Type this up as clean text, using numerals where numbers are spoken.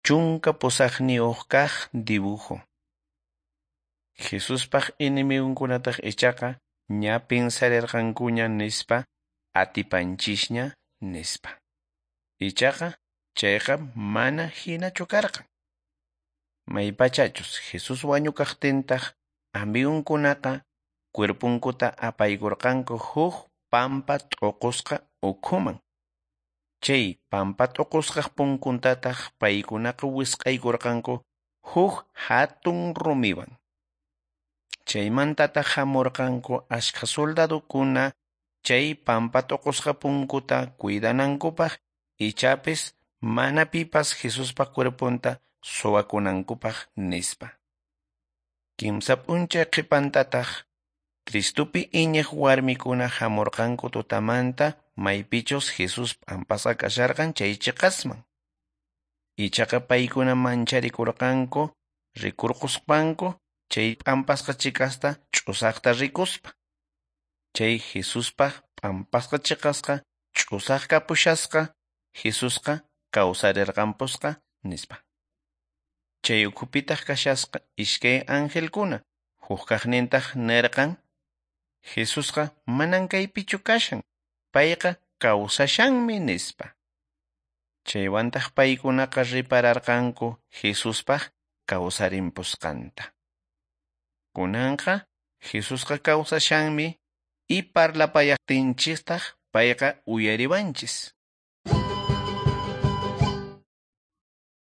18 kaq dibujo. Jesuspaq enemigonkunataq ichaqa ña pensarirqankuña nispa atipanchisña nispa. Ichaqa chayqa mana hinachu karqan. Maypachachus Jesús wañukaqtintaq amigonkunaqa cuerpunkuta apaykurqanku huk pampa t'uqusqa ukhuman. Chay pampa t'uqusqaq punkuntataq paykunaqa wisq'aykurqanku huk hatun rumiwan. Chaymantataq hamurqanku ashkha soldadukuna chay pampa t'uqusqa punkuta cuidanankupaq ichapis mana pipas Jesuspa cuerpunta suwakunankupaq nispa. Kimsa p'unchay qhipantataq Cristupi iñiq warmikuna hamurqanku tutamanta maypichus Jesús p'ampasqa kasharqan chay chiqasman. Ichaqa paykuna mancharikurqanku rikurquspanku chay p'ampasqa chiqasta ch'usaqta rikuspa. Chay Jesuspaq p'ampasqa chiqasqa ch'usaq kapushasqa Jesusqa kawsarirqanpusqa nispa. Chay ukhupitaq kashasqa iskay angelkuna huk kaqnintaq nirqan Jesusqa manan kaypichu kashan payqa kawsashanmi nispa. Chaywantaq paykunaqa ripararqanku Jesuspaq kawsarimpusqanta. Kunanqa Jesusqa kawsashanmi y parlapayaqtinchistaq payqa uyariwanchis.